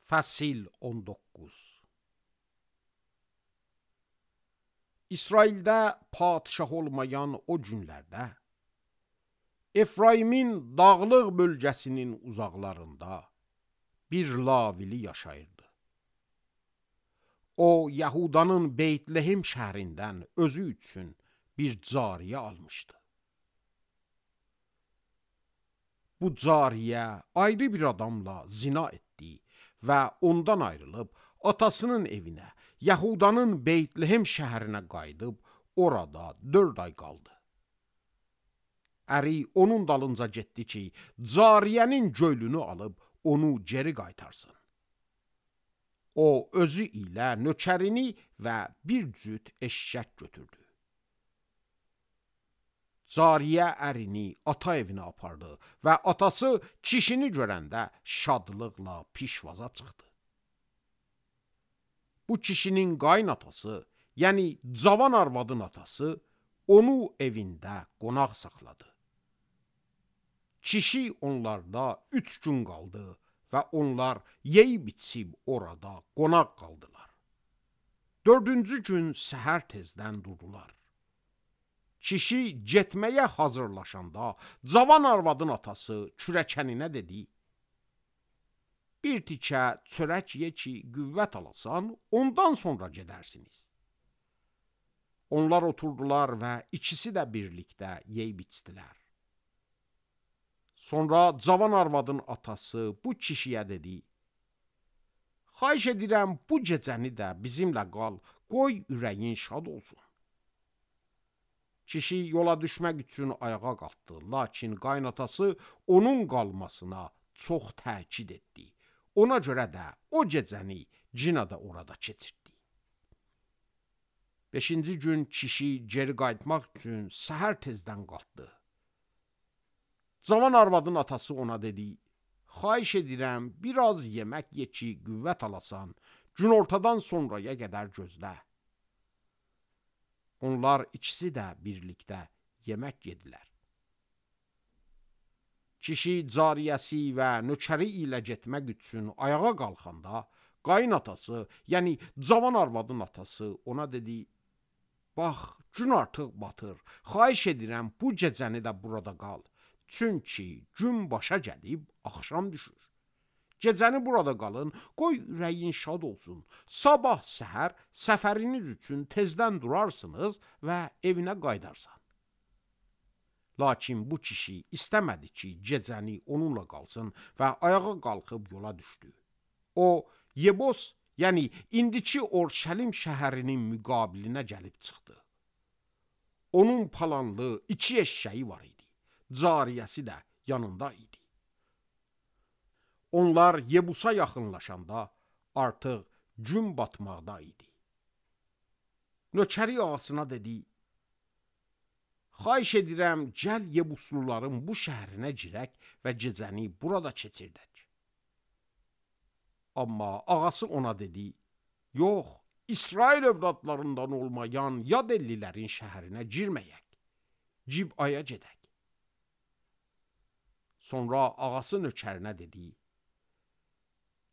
Fəsil 19. İsraildə padişah olmayan o günlərdə Efraimin dağlıq bölgəsinin uzaqlarında bir lavili yaşayırdı. O, Yahudanın Beytlehem şəhərindən özü üçün bir cariyə almışdı. Bu cariyə ayrı bir adamla zina etdi və ondan ayrılıb atasının evinə, Yahudanın Beytlehem şəhərinə qayıdıb orada 4 ay qaldı. Əri onun dalınca getdi ki, cariyənin göylünü alıb onu geri qaytarsın. O, özü ilə nökərini və bir cüt eşşək götürdü. Cariyə ərini ata evinə apardı və atası kişini görəndə şadlıqla pişvaza çıxdı. Bu kişinin qaynatası, yəni cavan arvadın atası, onu evində qonaq saxladı. Kişi onlarda 3 gün qaldı və onlar yeyib içib orada qonaq qaldılar. 4-cü gün səhər tezdən durdular. Kişi getməyə hazırlaşanda cavan arvadın atası kürəkəninə dedi: "Bir tikə çörək ye ki, qüvvət alasan, ondan sonra gedərsiniz." Onlar oturdular və ikisi də birlikdə yeyib içdilər. Sonra cavan arvadın atası bu kişiyə dedi: "Xahiş edirəm, bu gecəni də bizimlə qal, qoy ürəyin şad olsun." Kişi yola düşmək üçün ayağa qalxdı, lakin qaynatası onun qalmasına çox təkid etdi. Ona görə də o gecəni yenə də orada keçirtdi. 5-ci gün kişi geri qayıtmaq üçün səhər tezdən qalxdı. Cavan arvadın atası ona dedi: "Xahiş edirəm, biraz yemək ye ki, qüvvət alasan, günortadan sonraya qədər gözlə." Onlar ikisi də birlikdə yemək yedilər. Kişi cariyəsi və nökəri ilə getmək üçün ayağa qalxanda, qaynatası, yəni cavan arvadın atası ona dedi: "Bax, gün artıq batır, xahiş edirəm, bu gecəni də burada qal. Çünki gün başa gəlib, axşam düşür. Gecəni burada qalın, qoy ürəyin şad olsun. Sabah səhər səfəriniz üçün tezdən durarsınız və evinə qayıdarsan." Lakin bu kişi istəmədi ki, gecəni onunla qalsın və ayağa qalxıb yola düşdü. O, Yebos, yəni indiki Orşəlim şəhərinin müqabilinə gəlib çıxdı. Onun palanlı 2 eşşəyi var idi. Cariyəsi də yanında idi. Onlar Yebusa yaxınlaşanda artıq gün batmaqda idi. Nökəri ağasına dedi: "Xahiş edirəm, gəl Yebusluların bu şəhərinə girək və gecəni burada keçirdək." Amma ağası ona dedi: "Yox, İsrail övladlarından olmayan yad ellilərin şəhərinə girməyək. Cibaya gedək." Sonra ağası nökərinə dedi: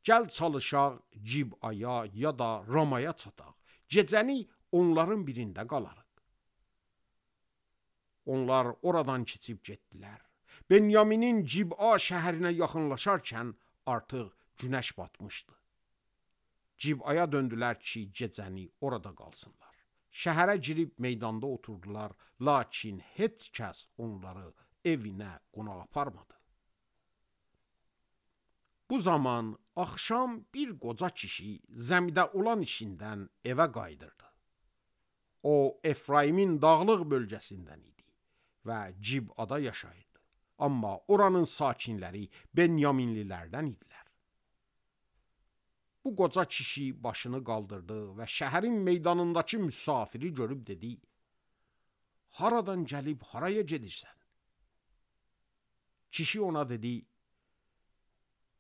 "Gəl çalışaq Cibaya ya da Ramaya çataq. Gecəni onların birində qalarıq." Onlar oradan keçib getdilər. Benyaminin Ciba şəhərinə yaxınlaşarkən artıq günəş batmışdı. Cibaya döndülər ki, gecəni orada qalsınlar. Şəhərə girib meydanda oturdular, lakin heç kəs onları evinə qonaq aparmadı. Bu zaman axşam bir qoca kişi zəmidə olan işindən evə qayıdırdı. O, Efraimin dağlıq bölgəsindən idi və Cibada yaşayırdı. Amma oranın sakinləri Benyaminlilərdən idilər. Bu qoca kişi başını qaldırdı və şəhərin meydanındakı müsafiri görüb dedi: "Haradan gəlib haraya gedirsən?" Kişi ona dedi: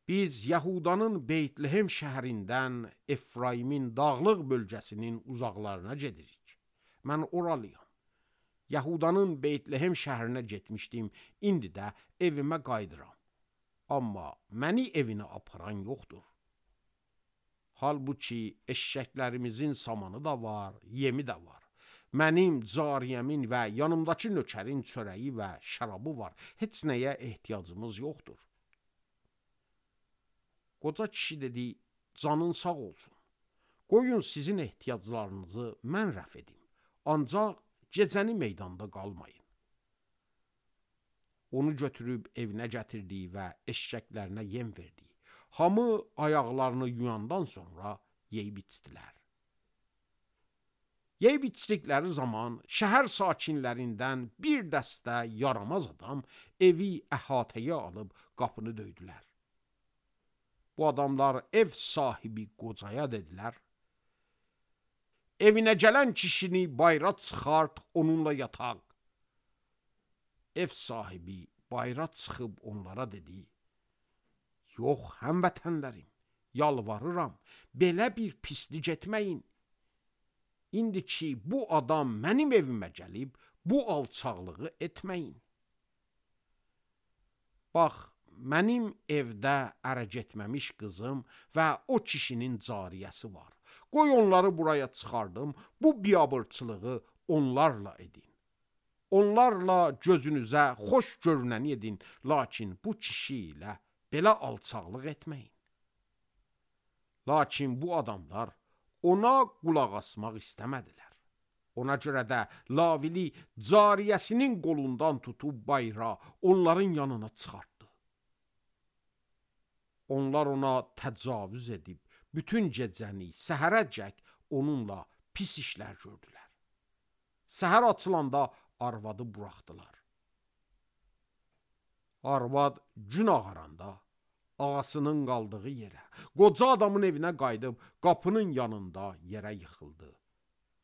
"Biz Yahudanın Beytlehem şəhərindən Efraimin dağlıq bölgəsinin uzaqlarına gedirik. Mən oralıyam. Yahudanın Beytlehem şəhərinə getmişdim, indi də evimə qayıdıram. Amma məni evinə aparan yoxdur." Halbuki eşşəklərimizin samanı da var, yemi də var. Mənim cariyəmin və yanımdakı nökərin çörəyi və şərabı var. Heç nəyə ehtiyacımız yoxdur. Qoca kişi dedi, canın sağ olsun. Qoyun sizin ehtiyaclarınızı mən rəf edim. Ancaq gecəni meydanda qalmayın. Onu götürüb evinə gətirdi və eşşəklərinə yem verdi. Hamı ayaqlarını yuyandan sonra yeyib içdilər. Yeyib içdikləri zaman şəhər sakinlərindən bir dəstə yaramaz adam evi əhatəyə alıb qapını döydülər. Bu adamlar ev sahibi qocaya dedilər, evinə gələn kişini bayra çıxart, onunla yataq. Ev sahibi bayra çıxıb onlara dedi, yox həmvətənlərim, yalvarıram, belə bir pislik etməyin. İndi ki, bu adam mənim evimə gəlib, bu alçaqlığı etməyin. Bax, mənim evdə ərə getməmiş qızım və o kişinin cariyəsi var. Qoy onları buraya çıxardım, bu biabırçılığı onlarla edin. Onlarla gözünüzə xoş görünəni edin, lakin bu kişi ilə belə alçaqlıq etməyin. Lakin bu adamlar ona qulaq asmaq istəmədilər. Ona görə də Lavili cariyəsinin qolundan tutub bayra onların yanına çıxartdı. Onlar ona təcavüz edib, bütün gecəni səhərəcək onunla pis işlər gördülər. Səhər açılanda arvadı buraxdılar. Arvad gün ağaranda ağasının qaldığı yerə, qoca adamın evinə qayıdıb qapının yanında yerə yıxıldı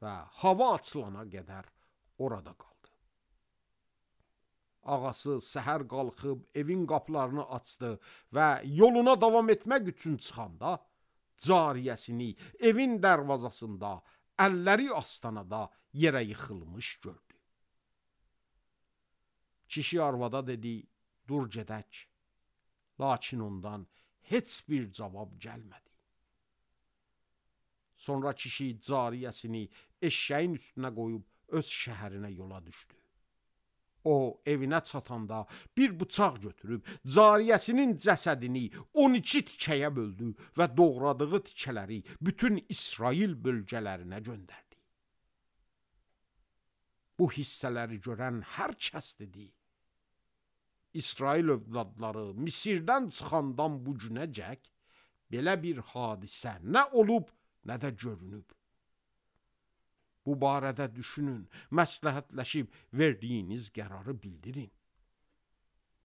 və hava açılana qədər orada qaldı. Ağası səhər qalxıb evin qapılarını açdı və yoluna davam etmək üçün çıxanda cariyəsini evin dərvazasında, əlləri astanada yerə yıxılmış gördü. Kişi arvada dedi, dur gedək. Lakin ondan heç bir cavab gəlmədi. Sonra kişi cariyəsini eşşəyin üstünə qoyub öz şəhərinə yola düşdü. O, evinə çatanda bir bıçaq götürüb cariyəsinin cəsədini 12 tikəyə böldü və doğradığı tikələri bütün İsrail bölgələrinə göndərdi. Bu hissələri görən hər kəs dedi, İsrail övladları Misirdən çıxandan bu günəcək belə bir hadisə nə olub, nə də görünüb. Bu barədə düşünün, məsləhətləşib verdiyiniz qərarı bildirin.